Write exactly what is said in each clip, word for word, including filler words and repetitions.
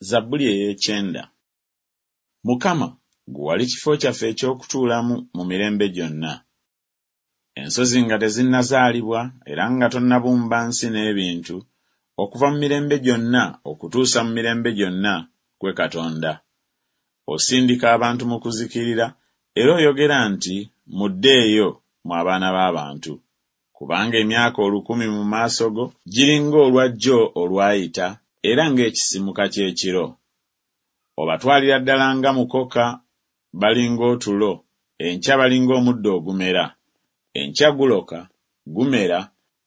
Zabbuli ey'ekyenda. Mukama, ggwe wali kifo kyaffe eky'okutuulamu mu mirembe gyonna. Ensozi nga tezinnazaalibwa era nga tonnabumba nsi n'ebintu, okuva mu mirembe gyonna okutuusa mu mirembe gyonna, ggwe Katonda. Osindika abantu mu kuzikirira, era oyogera nti, Muddeeyo, mmwe abaana b'abantu. Kubanga emyaka olukumi mu maaso go giri ng'olwa jjo olwayita, era ng'ekisimuka ky'ekiro. Obatwalira ddala nga mukoka, bali ng'otulo, enkya bali ng'omuddo ogumera. Enkya guloka, gumera,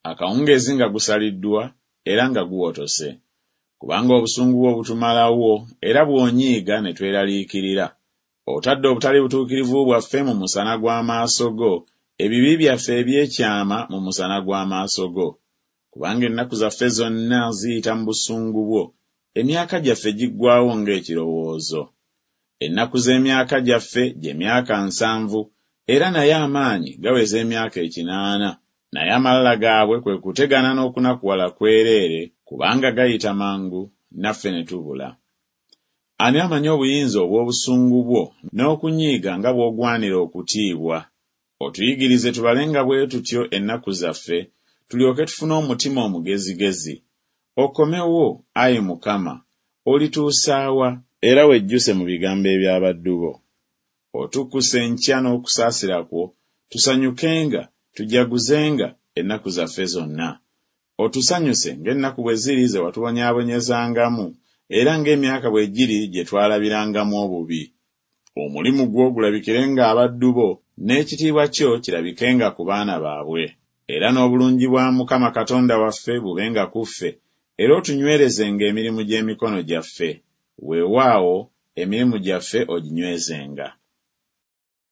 akawungeezi nga gusaliddwa era nga guwotose. Kubanga obusungu bwo butumalawo, era bw'onyiiga ne tweraliikirira. Otadde obutali butuukirivu bwaffe mu musana gw'amaaso go, ebibi byaffe eby'ekyama mu musana gw'amaaso go. Kubanga ennaku zaffe zonna ziyita mu busungu bwo, emyaka gyaffe giggwaawo ng'ekirowoozo. Ennaku z'emyaka gyaffe gye myaka nsanvu, era naye amaanyi gaweza emyaka ekinaana, naye amalala gaabwe kwe kutegana n'okunakuwala kwereere, kubanga gayita mangu, naffe ne tubula. Ani amanyi obuyinza obw'obusungu bwo n'okunyiiga nga bw'ogwanira okutiibwa? Otuyigirize tubalenga bwe tutyo ennaku zaffe, tulyoke tufune omutima omugezigezi. Okomewo, ayi Mukama, olituusa wa? Era wejjuse mu bigambo eby'abaddu bo. Otukkuse enkya n'okusaasira kwo, tusanyukenga, tujaguzenga ennaku zaffe zonna. Otusanyuse ng'ennaku bwe ziri ze watubonyaabonyezangamu, era ng'emyaka bwe giri gye twalabirangamu obubi. Omulimu gwo gulabikirenga abaddu bo, n'ekitiibwa kyo kirabikenga ku baana baabwe. Era n'obulungi bwa Mukama Katonda waffe bubenga ku ffe, era otunywerezenga emirimu gy'emikono gyaffe. Weewaawo, emirimu gyaffe oginywezenga.